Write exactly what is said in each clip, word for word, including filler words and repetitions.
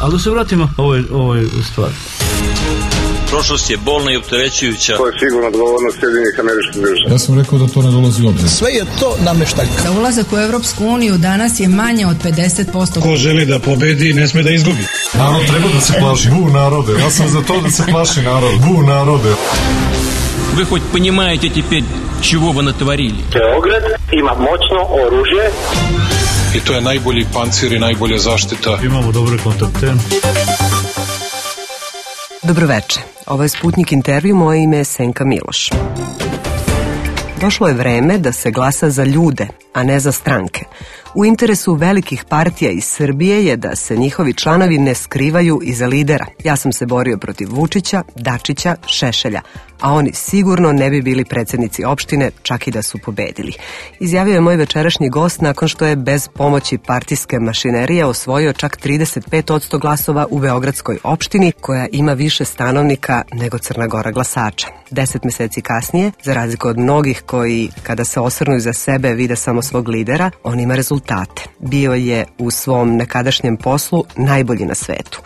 Ali da se vratimo ovoj, ovoj stvari. Prošlost je bolna i opterećujuća. To je sigurno odgovornost Sjedinjenih Američkih Država. Ja sam rekao da to ne dolazi u obzir. Sve je to nameštaljka. Da ulazak u Evropsku uniju danas je manje od pedeset posto. Ko želi da pobedi, ne sme da izgubi. Narod treba da se plaši. Bu narode. Ja sam za to da se plaši narod. Bu narode. Вы хоть понимаете теперь, чего вы натворили? Beograd ima moćno oružje. I to je najbolji pancir i najbolja zaštita. Imamo dobre kontakte. Dobroveče, ovo je Sputnik intervju, moje ime je Senka Miloš. Došlo je vreme da se glasa za ljude, a ne za stranke. U interesu velikih partija iz Srbije je da se njihovi članovi ne skrivaju iza lidera. Ja sam se borio protiv Vučića, Dačića, Šešelja, a oni sigurno ne bi bili predsjednici opštine, čak i da su pobedili. Izjavio je moj večerašnji gost nakon što je bez pomoći partijske mašinerije osvojio čak trideset pet posto glasova u Beogradskoj opštini, koja ima više stanovnika nego Crna Gora glasača. Deset meseci kasnije, za razliku od mnogih koji, kada se osvrnu iza sebe, vide samo svog lidera, on ima rezultate. Bio je u svom nekadašnjem poslu najbolji na svetu.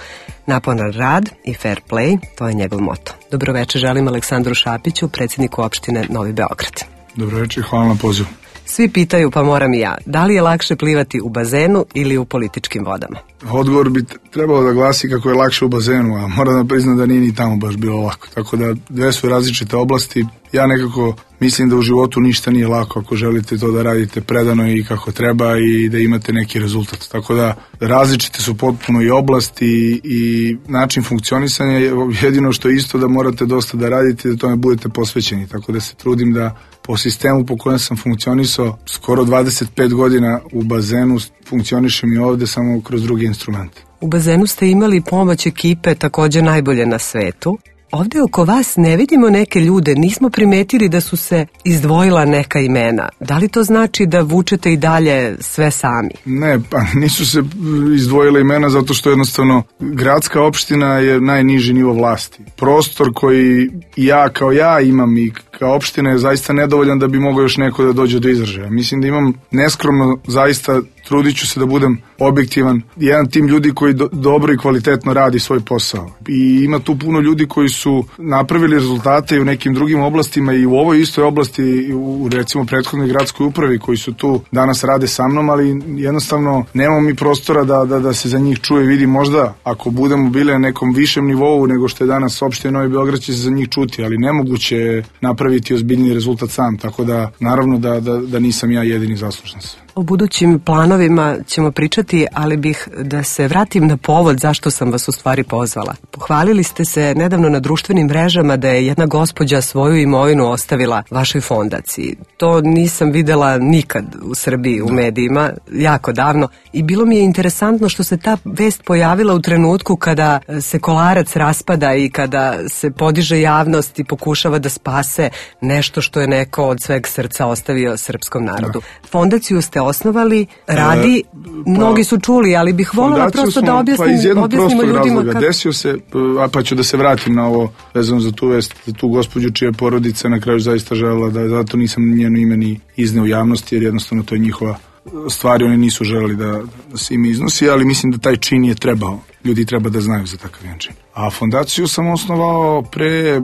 Naporan rad i fair play, to je njegov moto. Dobroveče želim Aleksandru Šapiću, predsjedniku opštine Novi Beograd. Dobroveče, hvala na pozivu. Svi pitaju, pa moram i ja, da li je lakše plivati u bazenu ili u političkim vodama? Odgovor bi trebalo da glasi kako je lakše u bazenu, a moram da priznam da nije ni tamo baš bilo lako. Tako da dve su različite oblasti. Ja nekako mislim da u životu ništa nije lako ako želite to da radite predano i kako treba i da imate neki rezultat. Tako da različite su potpuno i oblasti i način funkcionisanja. Jedino što je isto da morate dosta da radite i da tome budete posvećeni. Tako da se trudim da po sistemu po kojem sam funkcionisao skoro dvadeset pet godina u bazenu funkcionišem i ovde samo kroz druge instrumente. U bazenu ste imali pomoć ekipe također najbolje na svetu. Ovdje oko vas ne vidimo neke ljude, nismo primetili da su se izdvojila neka imena. Da li to znači da vučete i dalje sve sami? Ne, pa nisu se izdvojila imena zato što jednostavno gradska opština je najniži nivo vlasti. Prostor koji ja kao ja imam i kao opština je zaista nedovoljan da bi mogao još neko da dođe do izražaja. Mislim da imam neskromno, zaista trudit ću se da budem objektivan, jedan tim ljudi koji do, dobro i kvalitetno radi svoj posao. I ima tu puno ljudi koji su napravili rezultate i u nekim drugim oblastima i u ovoj istoj oblasti, i u recimo prethodnoj gradskoj upravi koji su tu danas rade sa mnom, ali jednostavno nemamo mi prostora da, da, da se za njih čuje, vidi možda ako budemo bili na nekom višem nivou nego što je danas opština Novi Beograd će se za njih čuti, ali nemoguće je napraviti ozbiljni rezultat sam, tako da naravno da, da, da nisam ja jedini zaslužan sve. O budućim planovima ćemo pričati, ali bih da se vratim na povod zašto sam vas u stvari pozvala. Pohvalili ste se nedavno na društvenim mrežama da je jedna gospođa svoju imovinu ostavila vašoj fondaciji. To nisam videla nikad u Srbiji u medijima, jako davno. I bilo mi je interesantno što se ta vest pojavila u trenutku kada se Kolarac raspada i kada se podiže javnost i pokušava da spase nešto što je neko od sveg srca ostavio srpskom narodu. Da. Fondaciju ste osnovali, radi, e, pa, mnogi su čuli, ali bih voljela prosto smo, da objasnim, pa iz jednog objasnimo ljudima. Razloga. Kako... Desio se, a pa ću da se vratim na ovo vezano za tu vest, za tu gospođu čija je porodica na kraju zaista želela da zato nisam njeno ime ni izneo u javnosti, jer jednostavno to je njihova stvar, oni nisu želeli da, da se ime iznosi, ali mislim da taj čin je trebao. Ljudi treba da znaju za takav jedan čin. A fondaciju sam osnovao pre,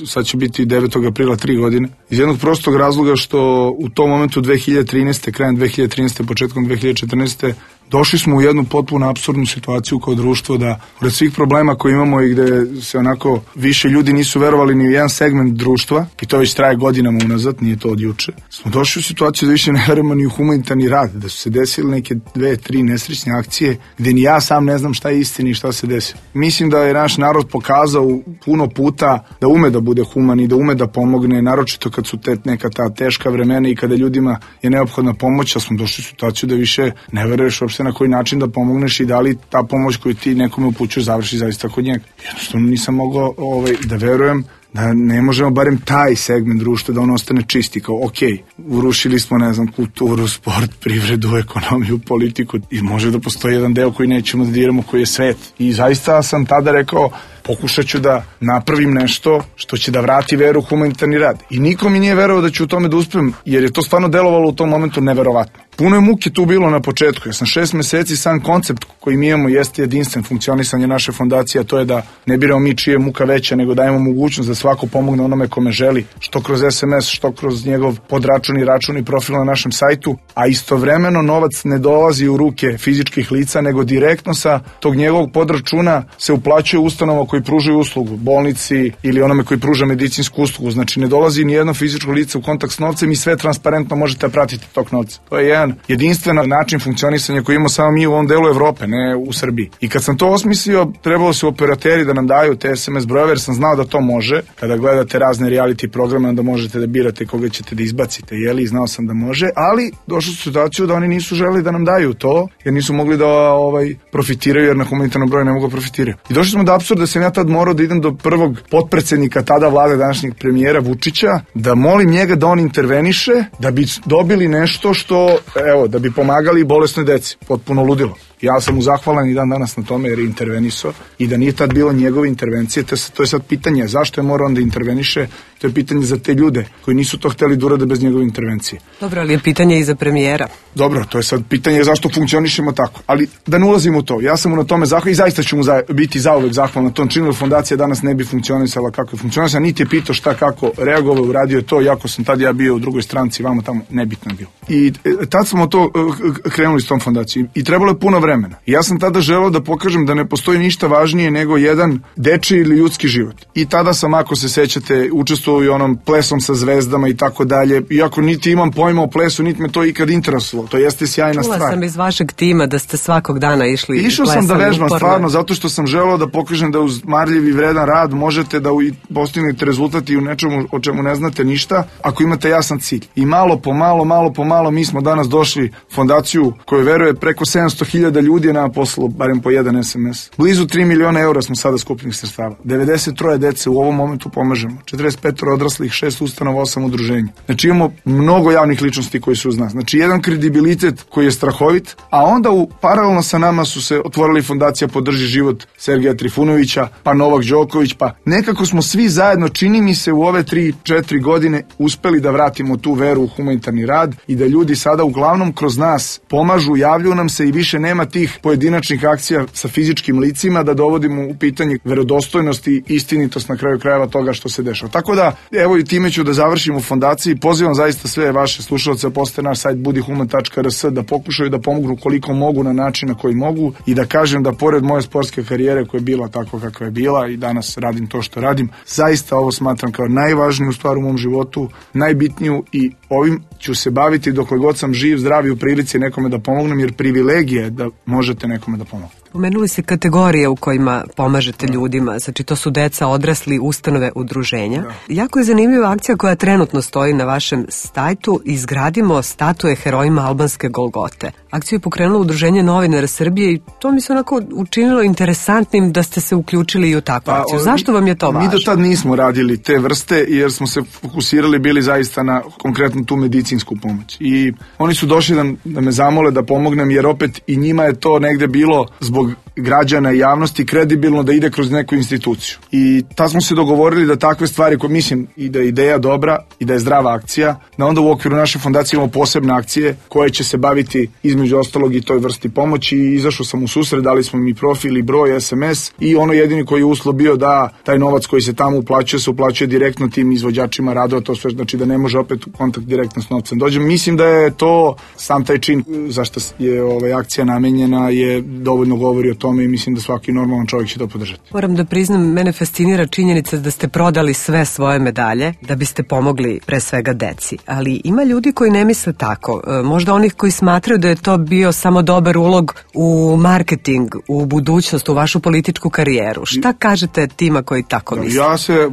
sad će biti devetog aprila, tri godine, iz jednog prostog razloga što u tom momentu dve hiljade trinaeste, krajem dve hiljade trinaeste, početkom dve hiljade četrnaeste došli smo u jednu potpuno apsurdnu situaciju kao društvo da pored svih problema koje imamo i gde se onako više ljudi nisu verovali ni u jedan segment društva, i to već traje godinama unazad, nije to od juče, smo došli u situaciju da više ne verujemo ni u humanitarni rad, da su se desile neke dve, tri nesrećne akcije gde ni ja sam ne znam šta je istina i šta se desilo. Mislim da je naš narod pokazao puno puta da ume da bude human i da ume da pomogne, naročito kad su te neka ta teška vremena i kada ljudima je neophodna pomoć, a smo došli u situaciju da više ne veruješ uopšte na koji način da pomogneš i da li ta pomoć koju ti nekome upućuješ završi zaista kod njega. Jednostavno nisam mogao ovaj, da verujem da ne možemo barem taj segment društva da on ostane čisti, kao ok, urušili smo, ne znam, kulturu, sport, privredu, ekonomiju, politiku i može da postoji jedan deo koji nećemo da diramo, koji je svet. I zaista sam tada rekao, pokušat ću da napravim nešto što će da vrati veru u humanitarni rad. I niko mi nije verovao da ću u tome da uspem, jer je to stvarno delovalo u tom momentu neverovatno. Puno je muke tu bilo na početku. Ja sam šest meseci, sam koncept koji mi imamo jeste jedinstven funkcionisanje naše fondacije, a to je da ne biramo mi čije je muka veća, nego dajemo mogućnost da svako pomogne onome kome želi, što kroz es em es, što kroz njegov podračun i račun i profil na našem sajtu, a istovremeno novac ne dolazi u ruke fizičkih lica, nego direktno sa tog njegovog podračuna se uplaćuje ustanova koji pružaju uslugu, bolnici ili onome koji pruža medicinsku uslugu. Znači ne dolazi ni jedno fizičko lice u kontakt s novcem i sve transparentno možete pratiti tog novca. To je jedan jedinstven način funkcionisanja koji imamo samo mi u ovom delu Evrope, ne u Srbiji. I kad sam to osmislio, trebalo su operateri da nam daju te es em es brojeve, jer sam znao da to može. Kada gledate razne reality programe, onda možete da birate koga ćete da izbacite, jeli, znao sam da može, ali došlo su situaciju da oni nisu želeli da nam daju to, jer nisu mogli da ovaj, profitiraju, jer na humanitarnom broju ne mogu da profitiraju. I došli smo do apsurda da sam ja tad morao da idem do prvog potpredsednika tada vlade, današnjeg premijera Vučića, da molim njega da on interveniše, da bi dobili nešto što, evo, da bi pomagali bolesnoj deci. Potpuno ludilo. Ja sam mu zahvalan i dan danas na tome jer je intervenisao i da nije tad bilo njegove intervencije, to je sad pitanje zašto je morao on da interveniše, to je pitanje za te ljude koji nisu to hteli da urade bez njegove intervencije. Dobro, ali je pitanje i za premijera. Dobro, to je sad pitanje zašto funkcionišemo tako, ali da ne ulazimo u to, ja sam mu na tome zahvalan i zaista ću mu za, biti zauvek zahvalan na tom činu, fondacija danas ne bi funkcionisala kako je funkcionisala, niti je pitao šta kako reagovao, uradio je to, iako sam tad ja bio u drugoj stranci, vamo tamo nebitno je bilo. I tad smo to krenuli s tom fondacijom i trebalo je puno vremena. Ja sam tada želeo da pokažem da ne postoji ništa važnije nego jedan dečiji ili ljudski život. I tada sam, ako se sećate, učestvovao i onom plesom sa zvezdama i tako dalje. Iako niti imam pojma o plesu, niti me to ikad interesovalo. To jeste sjajna Čula stvar. sam iz vašeg tima da ste svakog dana išli i Išao sam da vežbam stvarno, zato što sam želeo da pokažem da uz marljiv i vredan rad možete da postignete rezultat i u nečemu o čemu ne znate ništa, ako imate jasan cilj. I malo po malo, malo po malo mi smo danas došli fondaciju koju veruje preko sedamsto hiljada ljudi je nama poslalo barem po jedan es em es. Blizu tri miliona eura smo sada skupljenih sredstava. devedeset troje dece u ovom momentu pomažemo. četrdeset pet odraslih, šest ustanova, osam udruženja. Znači imamo mnogo javnih ličnosti koji su uz nas. Znači jedan kredibilitet koji je strahovit, a onda u paralelno sa nama su se otvorili fondacija Podrži život Sergeja Trifunovića, pa Novak Đoković, pa nekako smo svi zajedno, čini mi se, u ove tri četiri godine uspeli da vratimo tu veru u humanitarni rad i da ljudi sada uglavnom kroz nas pomažu, javljaju nam se i više nema tih pojedinačnih akcija sa fizičkim licima da dovodimo u pitanje verodostojnost i istinitost na kraju krajeva toga što se dešava. Tako da, evo i time ću da završim u fondaciji. Pozivam zaista sve vaše slušalce, posete naš sajt budihuman tačka er es da pokušaju da pomognu koliko mogu na način na koji mogu i da kažem da pored moje sportske karijere koja je bila takva kakva je bila i danas radim to što radim, zaista ovo smatram kao najvažniju stvar u mom životu, najbitniju i ovim ću se baviti dokle god sam živ, zdrav i u prilici nekome da pomognem, jer privilegija je da možete nekome da pomognete. Pomenuli se kategorije u kojima pomažete ljudima, znači to su deca, odrasli, ustanove, udruženja. Da. Jako je zanimljiva akcija koja trenutno stoji na vašem sajtu, izgradimo statue herojima albanske Golgote. Akciju je pokrenulo Udruženje novinara Srbije i to mi se onako učinilo interesantnim da ste se uključili i u takvu akciju. Pa, zašto vam je to važno? Mi do tad nismo radili te vrste jer smo se fokusirali bili zaista na konkretno tu medicinsku pomoć. I oni su došli da, da me zamole da pomognem jer opet i njima je to negde bilo zbog građana i javnosti kredibilno da ide kroz neku instituciju. I tad smo se dogovorili da takve stvari koje mislim i da je ideja dobra i da je zdrava akcija, da onda u okviru naše fondacije imamo posebne akcije koje će se baviti između ostalog i toj vrsti pomoći i izašao sam u susret, dali smo mi profil i broj, es em es i ono jedini koji je uslov bio da taj novac koji se tamo uplaćuje se uplaćuje direktno tim izvođačima radova, to sve znači da ne može opet u kontakt direktno s novcem dođem. Mislim da je to sam taj čin zašto je ovaj akcija namenjena je dovoljno govori o tome i mislim da svaki normalan čovjek će to podržati. Moram da priznam, mene fascinira činjenica da ste prodali sve svoje medalje da biste pomogli pre svega deci. Ali ima ljudi koji ne misle tako. Možda onih koji smatraju da je to bio samo dobar ulog u marketing, u budućnost, u vašu političku karijeru. Šta kažete tima koji tako misle? Ja se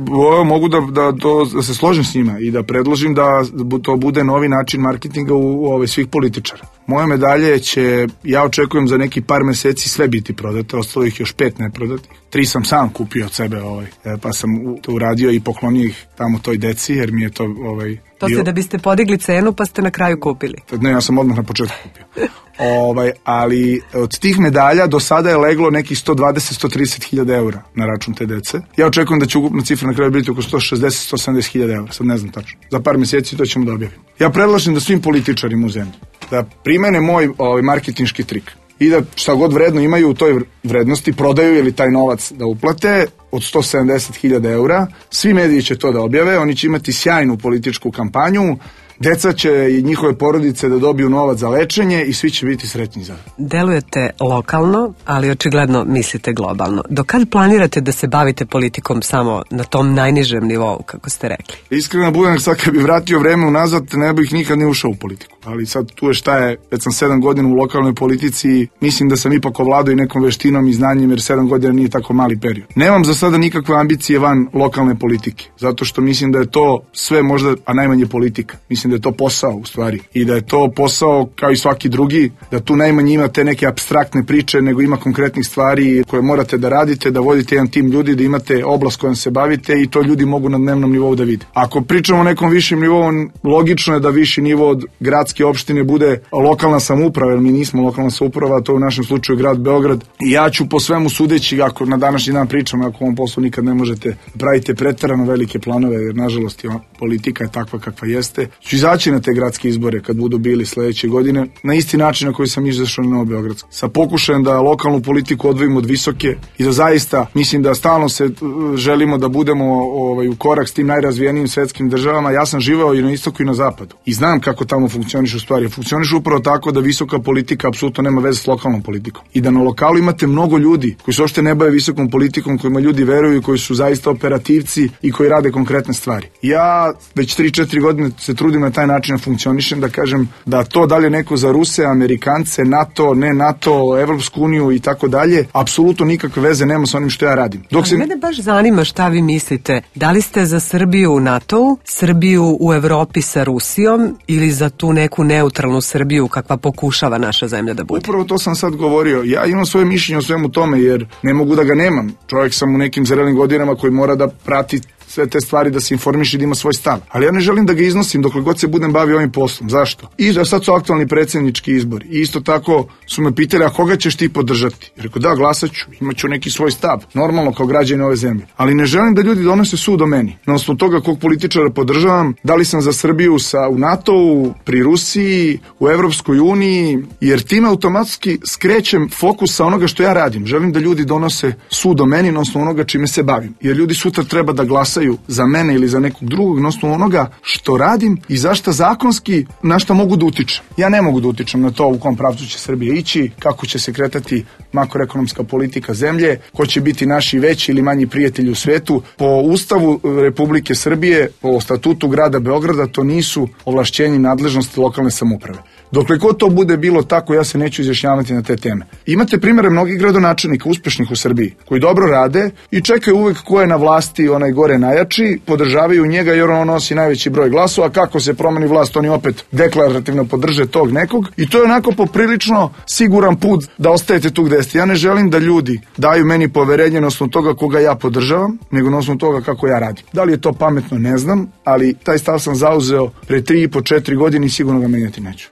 mogu da, da, to, da se složim s njima i da predložim da to bude novi način marketinga u, u ove svih političara. Moje medalje će, ja očekujem za neki par meseci sve biti prodate, ostalo ih još pet neprodatih. Tri sam sam kupio od sebe, ovaj, pa sam to uradio i poklonio ih tamo toj deci, jer mi je to... Ovaj, to ste da biste podigli cenu, pa ste na kraju kupili. Ne, ja sam odmah na početku kupio. Ovaj, ali od tih medalja do sada je leglo nekih sto dvadeset do sto trideset hiljada eura na račun te dece. Ja očekujem da će ukupna cifra na kraju biti oko sto šezdeset do sto sedamdeset hiljada eura, sad ne znam tačno. Za par mjeseci to ćemo da objavimo. Ja predlažem da svim političarima u zemlji da primene moj ovaj, marketinški trik i da šta god vredno imaju u toj vrednosti prodaju ili taj novac da uplate od sto sedamdeset hiljada eura. Svi mediji će to da objave, oni će imati sjajnu političku kampanju, deca će i njihove porodice da dobiju novac za lečenje i svi će biti sretni za to. Delujete lokalno, ali očigledno mislite globalno. Do kad planirate da se bavite politikom samo na tom najnižem nivou, kako ste rekli? Iskreno budem, sad kad bi vratio vreme unazad, ne bih nikad ni ušao u politiku. Ali sad tu je šta je, već sam sedam godina u lokalnoj politici, mislim da sam ipak ovladao i nekom veštinom i znanjem, jer sedam godina nije tako mali period. Nemam za sada nikakve ambicije van lokalne politike, zato što mislim da je to sve možda, a najmanje politika. Mislim da je to posao u stvari i da je to posao kao i svaki drugi, da tu najmanje ima te neke apstraktne priče, nego ima konkretnih stvari koje morate da radite, da vodite jedan tim ljudi, da imate oblast kojom se bavite i to ljudi mogu na dnevnom nivou da vide. Ako pričamo o nekom višim nivou, logično je da viši nivo od gradske opštine bude lokalna samouprava, jer mi nismo lokalna samouprava, to je u našem slučaju grad Beograd. I ja ću po svemu sudeći, ako na današnji dan pričam, ako u ovom poslu nikad ne možete pravite preterano velike planove, jer nažalost politika je takva kakva jeste, ću izaći na te gradske izbore kad budu bili sledeće godine, na isti način na koji sam izašao na Beogradski. Sa pokušajem da lokalnu politiku odvojimo od visoke i da zaista, mislim da stalno se želimo da budemo ovaj, u korak s tim najrazvijenijim svetskim državama. Ja sam živeo i na istoku i na zapadu i znam kako tamo funkcionišu stvari. Funkcionišu upravo tako da visoka politika apsolutno nema veze s lokalnom politikom i da na lokalu imate mnogo ljudi koji se uopšte ne bave visokom politikom, kojima ljudi veruju, koji su zaista operativci i koji rade konkretne stvari. Ja već tri četiri godine se trudim na taj način da funkcionišem, da kažem da to dalje neko za Ruse, Amerikance, NATO, ne NATO, Evropsku uniju i tako dalje, apsolutno nikakve veze nema sa onim što ja radim. Dok se... Mene baš zanima šta vi mislite. Da li ste za Srbiju u NATO-u, Srbiju u Evropi sa Rusijom ili za tu neku neutralnu Srbiju kakva pokušava naša zemlja da bude? Upravo to sam sad govorio. Ja imam svoje mišljenje o svemu tome jer ne mogu da ga nemam. Čovjek sam u nekim zrelim godinama koji mora da prati sve te stvari, da se informiše i da ima svoj stav. Ali ja ne želim da ga iznosim dokle god se budem bavio ovim poslom. Zašto? I da sad su aktualni predsjednički izbori. I isto tako su me pitali, a koga ćeš ti podržati? I rekao, da, glasat ću, imat ću neki svoj stav. Normalno kao građani ove zemlje. Ali ne želim da ljudi donose sud o meni. Na osnovu toga kog političara podržavam, da li sam za Srbiju sa, u NATO-u, pri Rusiji, u Evropskoj uniji, jer time automatski skrećem fokus sa onoga što ja radim. Želim da ljudi donose sud o meni na osnovu onoga čime se bavim. Jer ljudi sutra treba da glasaju za mene ili za nekog drugog na osnovu onoga što radim i zašto zakonski na šta mogu da utičem. Ja ne mogu da utičem na to u kom pravcu će Srbija ići, kako će se kretati makroekonomska politika zemlje, ko će biti naši veći ili manji prijatelji u svetu. Po Ustavu Republike Srbije, po statutu grada Beograda, to nisu ovlašćenja i nadležnosti lokalne samouprave. Dokle god to bude bilo tako, ja se neću izjašnjavati na te teme. Imate primjere mnogih gradonačelnika uspešnih u Srbiji, koji dobro rade i čekaju uvek ko je na vlasti, onaj gore najjači, podržavaju njega jer on nosi najveći broj glasova, a kako se promeni vlast, oni opet deklarativno podrže tog nekog i to je onako poprilično siguran put da ostajete tu gde ste. Ja ne želim da ljudi daju meni poverenje na osnovu toga koga ja podržavam, nego na osnovu toga kako ja radim. Da li je to pametno, ne znam, ali taj stav sam zauzeo pre tri i po četiri godine i sigurno ga menjati neću.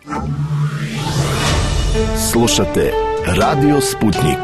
Slušate Radio Sputnik.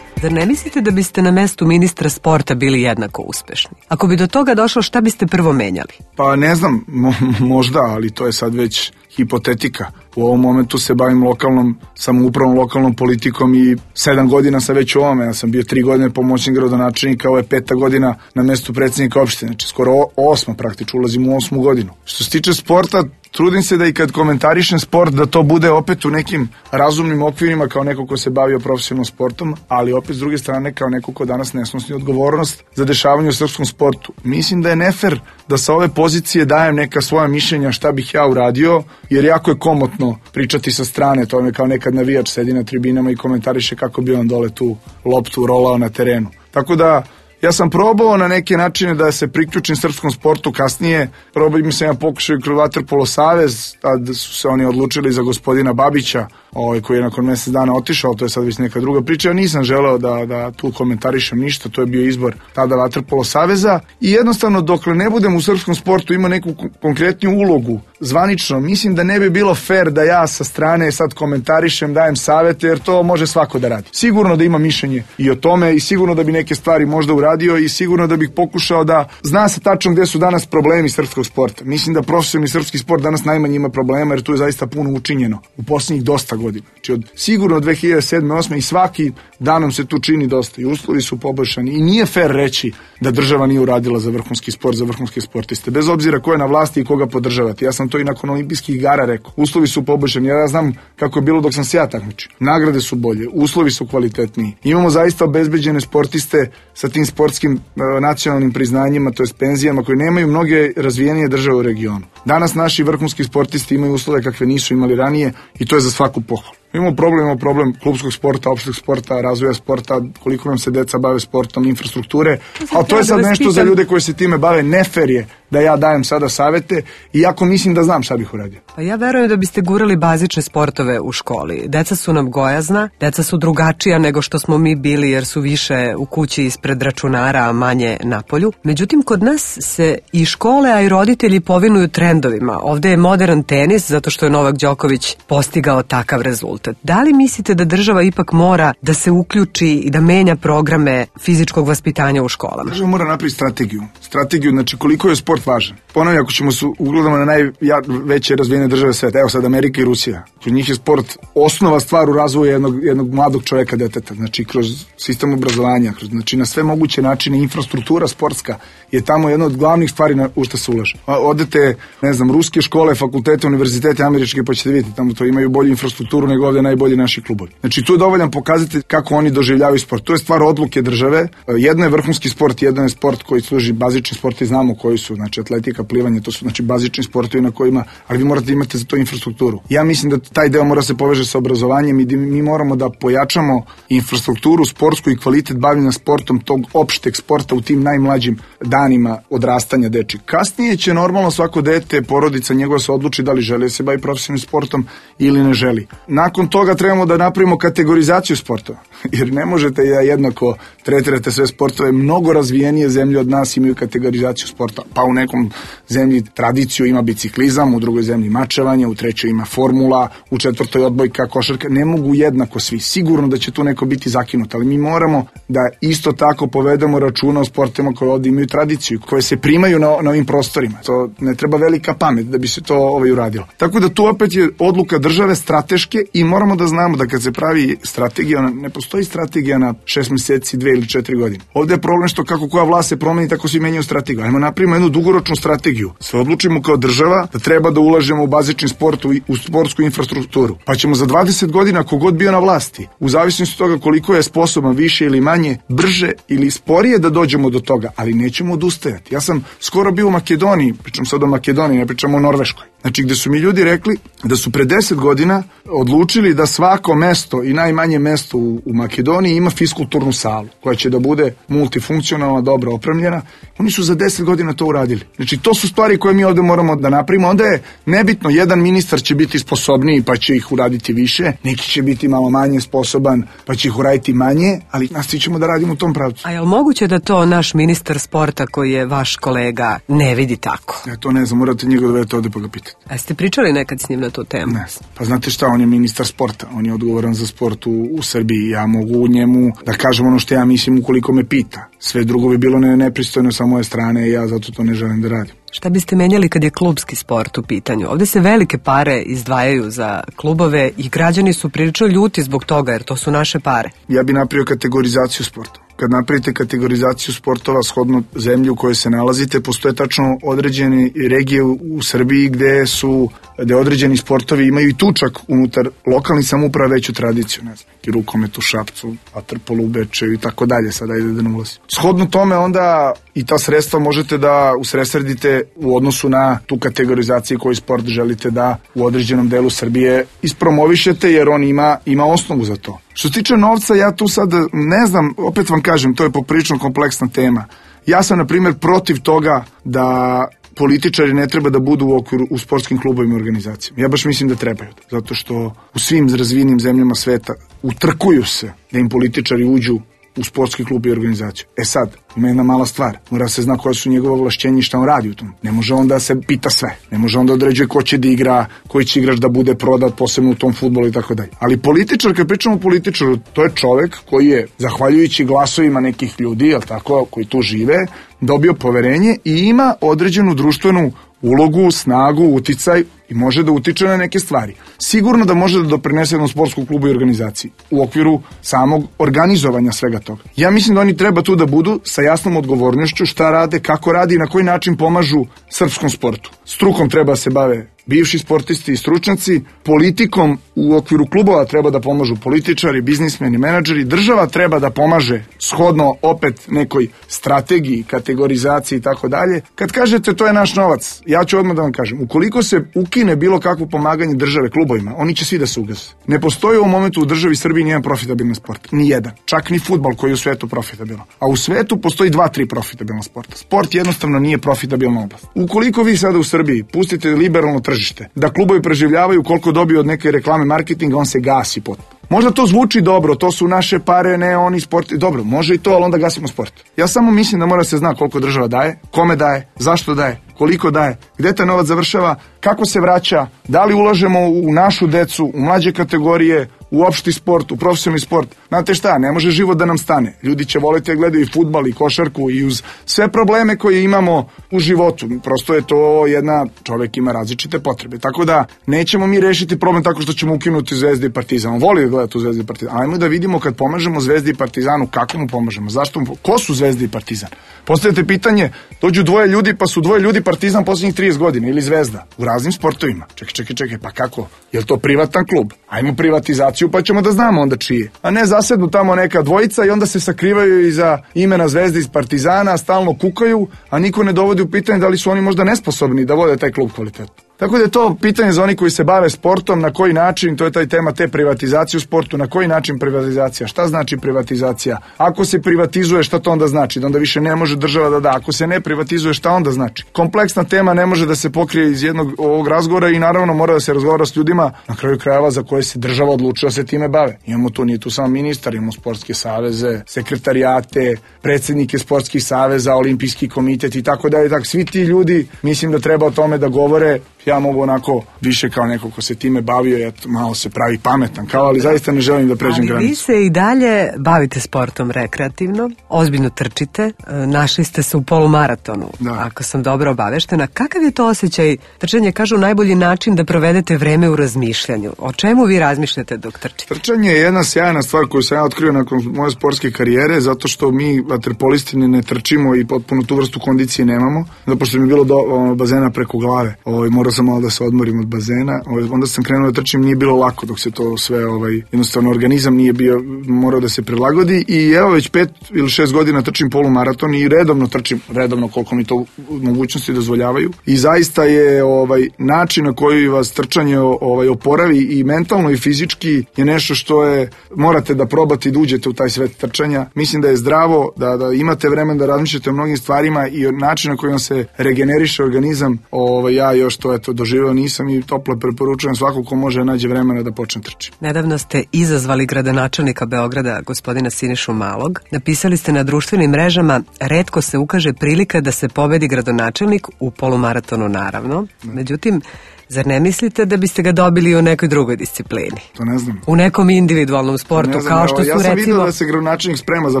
Zar ne mislite da biste na mestu ministra sporta bili jednako uspešni? Ako bi do toga došlo, šta biste prvo menjali? Pa ne znam, mo- možda, ali to je sad već hipotetika. U ovom momentu se bavim lokalnom samoupravom, lokalnom politikom i sedam godina sam već u ovome. Ja sam bio tri godine pomoćnik gradonačelnika, ovo je peta godina na mestu predsjednika opštine. Znači skoro osma praktično, ulazim u osmu godinu. Što se tiče sporta, trudim se da i kad komentarišem sport, da to bude opet u nekim razumnim okvirima kao neko ko se bavio profesionalnom sportom, ali opet s druge strane kao neko ko danas ne snosi odgovornost za dešavanje u srpskom sportu. Mislim da je nefer da sa ove pozicije dajem neka svoja mišljenja šta bih ja uradio, jer jako je komotno pričati sa strane, to je kao nekad navijač sedi na tribinama i komentariše kako bi on dole tu loptu rolao na terenu. Tako da Ja sam probao na neke načine da se priključim srpskom sportu kasnije. Probao mi sam ja pokušao kroz Vaterpolo savez, tad su se oni odlučili za gospodina Babića, ovaj, koji je nakon mjesec dana otišao, to je sad već neka druga priča. Ja nisam želeo da, da tu komentarišem ništa, to je bio izbor tada Vaterpolo saveza i jednostavno dokle ne budem u srpskom sportu ima neku konkretniju ulogu zvanično, mislim da ne bi bilo fair da ja sa strane sad komentarišem, dajem savete, jer to može svako da radi. Sigurno da ima mišljenje i o tome i sigurno da bi neke stvari možda uradio i sigurno da bih pokušao da zna se tačno gde su danas problemi srpskog sporta. Mislim da profesionalni srpski sport danas najmanje ima problema jer tu je zaista puno učinjeno u posljednjih dosta godina. Znači od sigurno od dve hiljade sedme osme i svaki danom se tu čini dosta i uslovi su poboljšani i nije fair reći da država nije uradila za vrhunski sport, za vrhunske sportiste. Bez obzira ko je na vlasti i koga podržavati. Ja sam to i nakon olimpijskih igara rekao. Uslovi su poboljšani. Ja znam kako je bilo dok sam se ja takmičio. Nagrade su bolje, uslovi su kvalitetniji. Imamo zaista obezbeđene sportiste sa tim sportskim e, nacionalnim priznanjima, to jest penzijama koje nemaju mnoge razvijenije države u regionu. Danas naši vrhunski sportisti imaju uslove kakve nisu imali ranije i to je za svaku pohvalu. Imamo problem, imamo problem klubskog sporta, opšteg sporta, razvoja sporta, koliko nam se deca bave sportom, infrastrukture, ali to je sad nešto za ljude koji se time bave. Nefer je da ja dajem sada savete, iako mislim da znam šta bih uradio. Pa ja verujem da biste gurali bazične sportove u školi. Deca su nam gojazna, deca su drugačija nego što smo mi bili jer su više u kući ispred računara, a manje napolju. Međutim, kod nas se i škole, a i roditelji povinuju trendovima. Ovde je modern tenis zato što je Novak Đoković postigao takav rezultat. Da li mislite da država ipak mora da se uključi i da menja programe fizičkog vaspitanja u školama? Država mora napraviti strategiju. Strategiju, znači koliko je sport važan. Ponavljam, ako ćemo se ugledamo na najveće razvijene države sveta, evo sad Amerika i Rusija, kod njih je sport osnova stvar u razvoju jednog, jednog mladog čoveka, deteta, znači kroz sistem obrazovanja, kroz, znači na sve moguće načine, infrastruktura sportska je tamo jedna od glavnih stvari na, u što se ulaže. Odete, ne znam, ruske škole, fakultete, univerzitete američke, pa ćete vidjeti, tamo to imaju bolju infrastrukturu nego ovdje najbolji naši klubovi. Znači tu je dovoljan pokazatelj kako oni doživljavaju sport. To je stvar odluke države. Jedno je vrhunski sport, jedno je sport koji služi bazični sport i znamo koji su, znači atletika, plivanje, to su znači bazični sportovi na kojima, ali vi morate imati za to infrastrukturu. Ja mislim da taj deo mora se poveže sa obrazovanjem i da mi moramo da pojačamo infrastrukturu sportsku i kvalitet bavljenja sportom tog opšteg sporta u tim najmlađim danima odrastanja deči. Kasnije će normalno svako dete, porodica njegova se odluči da li želi da se bavi profesionalnim sportom ili ne želi. Nakon toga trebamo da napravimo kategorizaciju sportova, jer ne možete da jednako tretirate sve sportove. Mnogo razvijenije zemlje od nas imaju kategorizaciju sporta, pa u nekom zemlji tradiciju ima biciklizam, u drugoj zemlji mačevanje, u trećoj ima formula, u četvrtoj odbojka, košarka. Ne mogu jednako svi. Sigurno da će tu neko biti zakinut, ali mi moramo da isto tako povedemo računa o sportima koje ovdje imaju tradiciju, koje se primaju na, na ovim prostorima. To ne treba velika pamet da bi se to ovaj uradilo. Tako da tu opet je odluka države strateške i moramo da znamo da kad se pravi strategija, ne postoji strategija na šest mjeseci, dve ili četiri godine. Ovdje je problem što kako koja vlast se promeni, tako svi menjaju strategiju. Ajmo napravimo jednu dugoročnu strategiju. Se odlučimo kao država da treba da ulažemo u bazični sport, u sportsku infrastrukturu. Pa ćemo za dvadeset godina, kogod bio na vlasti, u zavisnosti od toga koliko je sposoban, više ili manje, brže ili sporije da dođemo do toga, ali nećemo odustajati. Ja sam skoro bio u Makedoniji, pričam sad o Makedoniji, ne pričam o Norveškoj. Znači gde su mi ljudi rekli da su pre deset godina odlučili da svako mesto i najmanje mesto u, u Makedoniji ima fiskulturnu salu koja će da bude multifunkcionalna, dobro opremljena. Oni su za deset godina to uradili. Znači to su stvari koje mi ovdje moramo da napravimo. Onda je nebitno, jedan ministar će biti sposobniji pa će ih uraditi više, neki će biti malo manje sposoban pa će ih uraditi manje, ali nastavit ćemo da radimo u tom pravcu. A je li moguće da to naš ministar sporta koji je vaš kolega ne vidi tako? Ja to ne znam, morate njega dovedete ovdje pa ga pitati. A ste pričali nekad s njim na tu temu? Ne, pa znate šta, on je ministar sporta, on je odgovoran za sport u, u Srbiji, ja mogu njemu da kažem ono što ja mislim ukoliko me pita. Sve drugo bi bilo ne, nepristojno sa moje strane i ja zato to ne želim da radim. Šta biste menjali kad je klubski sport u pitanju? Ovdje se velike pare izdvajaju za klubove i građani su prilično ljuti zbog toga jer to su naše pare. Ja bi napravio kategorizaciju sporta. Kad napravite kategorizaciju sportova shodno zemlji u kojoj se nalazite, postoje tačno određene regije u, u Srbiji gde su, gde određeni sportovi imaju i tu čak unutar lokalnih samouprava veću tradiciju, ne znam, i rukomet u Šapcu, vaterpolo u Bečeju i tako dalje, sada ajde da ne ulazim. Shodno tome onda i ta sredstva možete da usredsredite u odnosu na tu kategorizaciju koji sport želite da u određenom delu Srbije ispromovišete, jer on ima, ima osnovu za to. Što se tiče novca, ja tu sad ne znam, opet vam kažem, to je poprilično kompleksna tema. Ja sam, na primjer, protiv toga da političari ne treba da budu u okviru u sportskim klubovima i organizacijama. Ja baš mislim da trebaju. Zato što u svim razvijenim zemljama sveta utrkuju se da im političari uđu u sportski klub i organizaciju. E sad, ima jedna mala stvar. Mora se zna koja su njegove ovlašćenja i šta on radi u tom. Ne može onda se pita sve. Ne može onda određuje ko će da igra, koji će igrač da bude prodat, posebno u tom fudbalu i tako dalje. Ali političar, kad pričamo o političaru, to je čovek koji je, zahvaljujući glasovima nekih ljudi, jel tako, koji tu žive, dobio poverenje i ima određenu društvenu ulogu, snagu, uticaj i može da utiče na neke stvari. Sigurno da može da doprinese jednom sportskom klubu i organizaciji u okviru samog organizovanja svega toga. Ja mislim da oni treba tu da budu sa jasnom odgovornošću šta rade, kako radi i na koji način pomažu srpskom sportu. Strukom treba se bave bivši sportisti i stručnjaci, politikom u okviru klubova treba da pomažu političari, biznismeni, menadžeri, država treba da pomaže shodno opet nekoj strategiji, kategorizaciji i tako dalje. Kad kažete to je naš novac, ja ću odmah da vam kažem, ukoliko se ukine bilo kakvo pomaganje države klubovima, oni će svi da se ugase. Ne postoji u ovom momentu u državi Srbiji nijedan profitabilan sport, ni jedan, čak ni fudbal koji je u svetu profitabilan. A u svetu postoji dva, tri profitabilna sporta. Sport jednostavno nije profitabilna oblast. Ukoliko vi sada u Srbiji pustite liberalno tržište, da klubovi preživljavaju koliko dobiju od neke reklame marketinga, on se gasi potpuno. Možda to zvuči dobro, to su naše pare, ne oni sport. Dobro, može i to, ali onda gasimo sport. Ja samo mislim da mora se zna koliko država daje, kome daje, zašto daje, koliko daje, gde taj novac završava, kako se vraća, da li ulažemo u našu decu, u mlađe kategorije, u opšti sport, u profesionalni sport. Znate šta, ne može život da nam stane. Ljudi će voleti da gledaju i fudbal i košarku i uz sve probleme koje imamo u životu. Prosto je to jedna, čovek ima različite potrebe. Tako da nećemo mi rešiti problem tako što ćemo ukinuti Zvezdu i Partizan. On voli da gleda tu Zvezdu i Partizan. Ajmo da vidimo kad pomažemo Zvezdi i Partizanu, kako mu pomažemo, zašto mu, ko su Zvezda i Partizan? Postavite pitanje, dođu dvoje ljudi pa su dvoje ljudi Partizan poslednjih trideset godina ili Zvezda u raznim sportovima. Čekaj, čekaj, čekaj, pa kako? Je li to privatan klub? Ajmo privatizaciju pa ćemo da znamo onda čije. A ne zasednu tamo neka dvojica i onda se sakrivaju iza imena Zvezde iz Partizana, stalno kukaju, a niko ne dovodi u pitanje da li su oni možda nesposobni da vode taj klub kvalitetno. Tako da je to pitanje za oni koji se bave sportom, na koji način, to je taj tema te privatizacije u sportu, na koji način privatizacija, šta znači privatizacija, ako se privatizuje šta to onda znači, da onda više ne može država da da, ako se ne privatizuje šta onda znači. Kompleksna tema ne može da se pokrije iz jednog ovog razgovora i naravno mora da se razgovara s ljudima na kraju krajeva za koje se država odlučila da se time bave. Imamo tu, nije tu samo ministar, imamo sportske saveze, sekretarijate, predsjednike sportskih saveza, olimpijski komitet i tako dalje, tako svi ti ljudi mislim da treba o tome da govore. Ja mogu onako više kao neko ko se time bavio, ja malo se pravi pametan, kao, ali zaista ne želim da pređem granicu. Ali vi se i dalje bavite sportom rekreativno, ozbiljno trčite, našli ste se u polumaratonu, da. Ako sam dobro obaveštena. Kakav je to osjećaj? Trčanje, kažu, najbolji način da provedete vreme u razmišljanju. O čemu vi razmišljate dok trčite? Trčanje je jedna sjajna stvar koju sam ja otkrio nakon moje sportske karijere, zato što mi vaterpolisti ne trčimo i potpuno tu vrstu kondicije nemamo, zato što mi je bilo do o, bazena preko glave. Ovaj, morao sam malo da se odmorim od bazena, ovaj, onda sam krenuo da trčim, nije bilo lako dok se to sve, ovaj, jednostavno organizam nije bio, morao da se prilagodi i evo već pet ili šest godina trčim polumaraton i redovno trčim, redovno koliko mi to mogućnosti dozvoljavaju i zaista je ovaj, način na koji vas trčanje ovaj, oporavi i mentalno i fizički je nešto što je, morate da probate i da uđete u taj svet trčanja. Mislim da je zdravo, da, da imate vremen da razmišljate o mnogim stvarima i način na koji vam se regeneriše organizam, ovaj, ja još to eto doživeo nisam i toplo preporučujem svako ko može nađe vremena da počne trči. Nedavno ste izazvali gradonačelnika Beograda, gospodina Sinišu Malog. Napisali ste na društvenim mrežama, retko se ukaže prilika da se pobedi gradonačelnik u polumaratonu, naravno. Međutim, zar ne mislite da biste ga dobili u nekoj drugoj disciplini? To ne znam. U nekom individualnom sportu, znam, kao što evo, su ja sam recimo... vidio da se gradonačelnik sprema za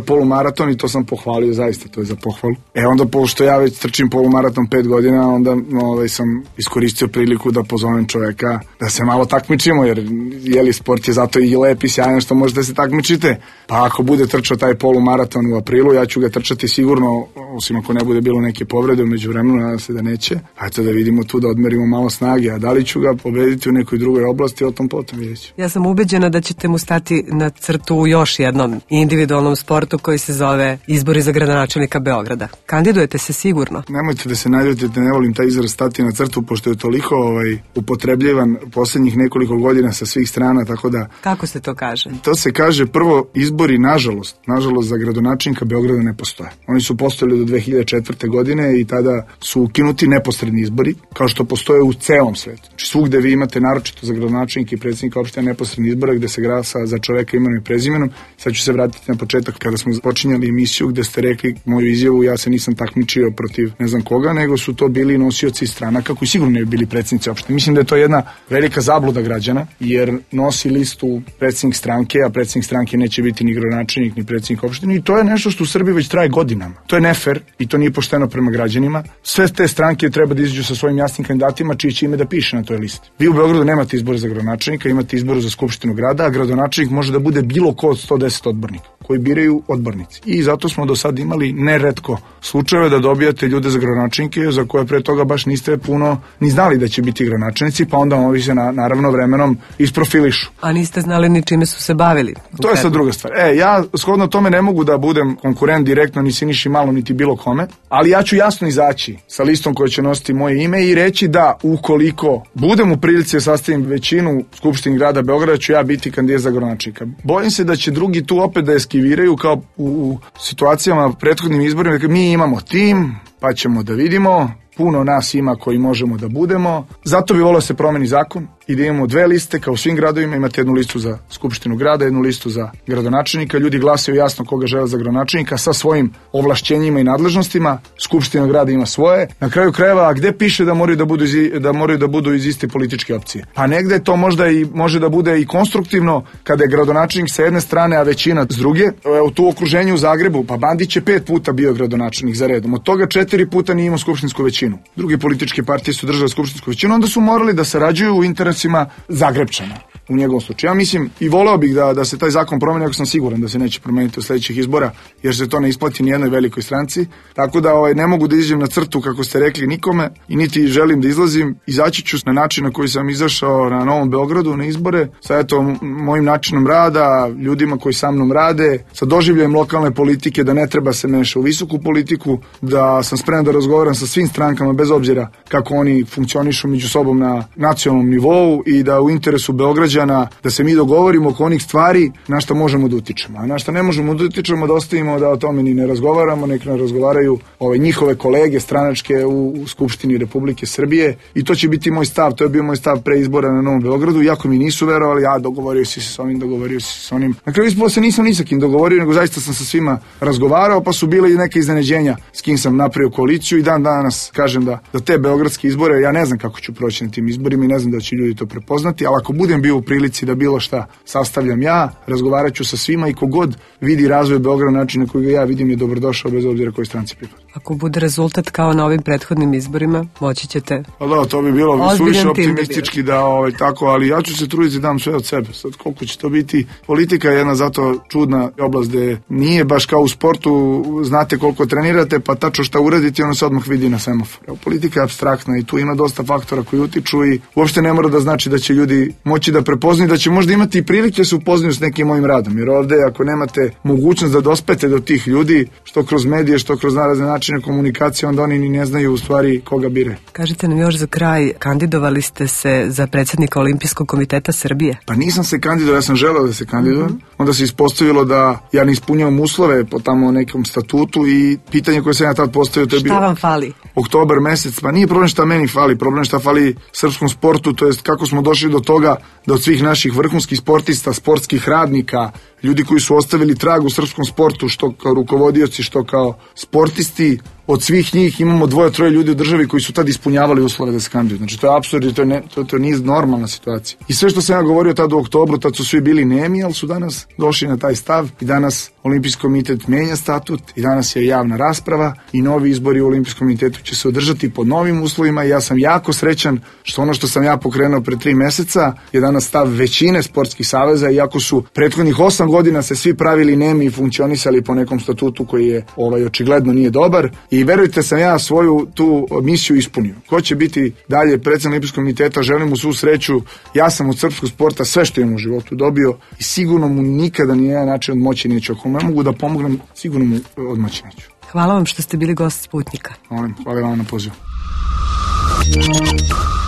polumaraton i to sam pohvalio, zaista, to je za pohvalu. E onda, pošto ja već trčim polumaraton pet godina, onda ovaj, sam iskoristio priliku da pozovem čoveka da se malo takmičimo, jer jeli, sport je zato i lep i sjajan što možete da se takmičite. Pa ako bude trčao taj polumaraton u aprilu, ja ću ga trčati sigurno osim ako ne bude bilo neke povrede umeđu vremenu, nadam se da neće. Hajde da vidimo tu, da odmerimo malo snage, a da li ću ga pobediti u nekoj drugoj oblasti, o tom potom vidjet ću. Ja sam ubeđena da ćete mu stati na crtu u još jednom individualnom sportu koji se zove izbori za gradonačelnika Beograda. Kandidujete se sigurno? Nemojte da se naljutite, ne volim taj izraz stati na crtu, pošto je toliko ovaj, upotrebljivan poslednjih nekoliko godina sa svih strana, tako da... Kako se to kaže? To se kaže, prvo, izbori, nažalost, nažalost za gradonačelnika Beograda ne postoje. Oni su postojali do dve hiljade četvrte. godine i tada su ukinuti neposredni izbori, kao što postoje u celom svetu. Znači svugde vi imate, naročito za gradonačelnika i predsjednika opštine, neposredni izbora gde se glasa za čoveka imenom i prezimenom. Sad ću se vratiti na početak kada smo počinjali emisiju gde ste rekli moju izjavu, ja se nisam takmičio protiv ne znam koga, nego su to bili nosioci stranaka koji sigurno ne bi bili predsjednici opštine. Mislim da je to jedna velika zabluda građana, jer nosi listu predsjednik stranke, a predsjednik stranke neće biti ni gradonačelnik ni predsjednik opštine, i to je nešto što u Srbiji već traje godinama. To je nefer i to nije pošteno prema građanima. Sve te stranke treba da izađu sa svojim jasnim kandidatima čije će ime da piše na toj listi. Vi u Beogradu nemate izbore za gradonačelnika, imate izbore za skupštinu grada, a gradonačelnik može da bude bilo ko od sto deset odbornika koji biraju odbornici. I zato smo do sad imali neretko slučajeve da dobijate ljude za gradonačelnike za koje pre toga baš niste puno ni znali da će biti gradonačelnici, pa onda ovi se na, naravno vremenom isprofilišu. A niste znali ni čime su se bavili? To je sad druga stvar. E, ja shodno tome ne mogu da budem konkurent direktno ni Siniši Malom niti bilo kome, ali ja ću jasno izaći sa listom koja će nositi moje ime i reći da ukoliko budem u prilici da sastavim većinu u Skupštini grada Beograda, ću ja biti kandidat za gradonačelnika. Bojim se da će drugi tu opet da eskiviraju kao u, u situacijama prethodnim izborima, da mi imamo tim, pa ćemo da vidimo, puno nas ima koji možemo da budemo. Zato bi volio da se promeni zakon i da imamo dve liste, kao u svim gradovima, imate jednu listu za skupštinu grada, jednu listu za gradonačelnika. Ljudi glasaju jasno koga žele za gradonačelnika sa svojim ovlašćenjima i nadležnostima. Skupština grada ima svoje. Na kraju krajeva, gde piše da moraju da budu iz, da moraju da budu iz iste političke opcije? Pa negde to možda i može da bude i konstruktivno kada je gradonačelnik sa jedne strane, a većina s druge. U tu okruženju u Zagrebu, pa Bandić je pet puta bio gradonačelnik za redom. Od toga četiri puta nije imao skupštinsku većinu. Druge političke partije su držale skupštinsku većinu, onda su morali da sarađuju u interesima Zagrebčana u njegovom slučaju. Ja mislim i voleo bih da, da se taj zakon promeni, ako sam siguran da se neće promeniti u sledećih izbora, jer se to ne isplati ni jednoj velikoj stranci. Tako da ovaj, ne mogu da izađem na crtu, kako ste rekli, nikome i niti želim da izlazim. Izaći ću na način na koji sam izašao na Novom Beogradu na izbore, sa eto mojim načinom rada, ljudima koji sa mnom rade, sa doživljajem lokalne politike, da ne treba se meša u visoku politiku, da sam spreman da razgovaram sa svim strankama bez obzira kako oni funkcionišu među sobom na nacionalnom nivou i da u interesu Beograđana da se mi dogovorimo oko onih stvari na šta možemo da utičemo. A na šta ne možemo da utičemo, da ostavimo da o tome ni ne razgovaramo, nek ne razgovaraju ove njihove kolege stranačke u, u Skupštini Republike Srbije i to će biti moj stav. To je bio moj stav pre izbora na Novom Beogradu, iako mi nisu verovali, ja dogovorio si se s ovim, dogovorio si se s onim. Na kraju ispalo se nisam ni sa kim dogovorio, nego zaista sam sa svima razgovarao, pa su bile i neke iznenađenja s kim sam napravio koaliciju i dan danas kažem da, da te beogradske izbore, ja ne znam kako ću proći na tim izborima i ne znam da će ljudi to prepoznati, ali ako budem bio u prilici da bilo šta sastavljam ja, razgovarat ću sa svima i kogod vidi razvoj Beograda na način na koji ga ja vidim je dobrodošao bez obzira kojoj stranci pripada. Ako bude rezultat kao na ovim prethodnim izborima, moći ćete... Pa da, to bi bilo suviše optimistički da ovaj, tako, ali ja ću se truditi da dam sve od sebe. Sad koliko će to biti? Politika je jedna zato čudna oblast gde nije baš kao u sportu, znate koliko trenirate, pa tačno šta uradite i ono se odmah vidi na semaforu. Politika je apstraktna i tu ima dosta faktora koji utiču i uopšte ne mora da znači da će ljudi moći da prepoznaju, da će možda imati i prilike da se upoznaju s nekim mojim radom, jer ovde ako nemate mogućnost da dospete do tih ljudi, što kroz medije, što kroz narazne načine komunikacije, onda oni ni ne znaju u stvari koga bire. Kažite nam još za kraj, kandidovali ste se za predsjednika Olimpijskog komiteta Srbije? Pa nisam se kandidovao, ja sam želeo da se kandidujem, mm-hmm. onda se ispostavilo da ja ne ispunjavam uslove po tamo nekom statutu i pitanje koje sam ja tad postavio, to je bilo... Šta vam fali? Oktobar mesec, pa nije problem šta meni fali, problem šta fali srpskom sportu, to jest kako smo došli do toga da od svih naših vrhunskih sportista, sportskih radnika, ljudi koji su ostavili trag u srpskom sportu, što kao rukovodioci, što kao sportisti, od svih njih imamo dvoje, troje ljudi u državi koji su tad ispunjavali uslove da se kandiduju. Znači to je apsurd i to, ne, to, to nije normalna situacija. I sve što sam ja govorio tad u oktobru, tad su svi bili nemi, ali su danas došli na taj stav i danas Olimpijski komitet menja statut i danas je javna rasprava i novi izbori u Olimpijskom komitetu će se održati pod novim uslovima i ja sam jako srećan što ono što sam ja pokrenuo pre tri meseca je danas stav većine sportskih saveza, iako su prethodnih osam godina se svi pravili nemi i funkcionisali po nekom statutu koji je ovaj očigledno nije dobar i verujte sam ja svoju tu misiju ispunio. Ko će biti dalje predsjednik Olimpijskog komiteta, želim mu svu sreću, ja sam od srpskog sporta sve što imam u životu dobio i sigurno mu nikada ni jedan način odmoći neću. Ako ne mogu da pomognem, sigurno mu odmoći neću. Hvala vam što ste bili gost Sputnika. Molim, hvala vam na pozivu.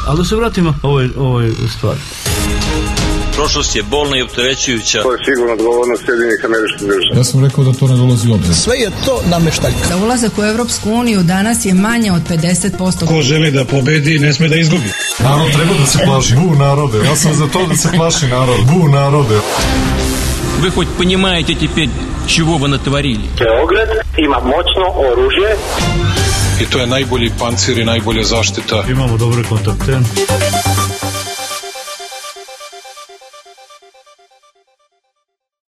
Ali da se vratimo ovoj, ovoj stvari. Prošlost je bolna i opterećujuća. To je sigurno odgovornost Sjedinjenih Američkih Država. Ja sam rekao da to ne dolazi u obzir. Sve je to nameštaljka. Za ulazak u Evropsku uniju danas je manje od pedeset posto. Ko želi da pobedi, ne sme da izgubi. Narod treba da se plaši. Bu narode. Ja sam za to da se plaši narod. Bu narode. Вы хоть понимаете теперь, чего вы натворили? Beograd ima moćno oružje. I to je najbolji pancir i najbolja zaštita. Imamo dobre kontakte.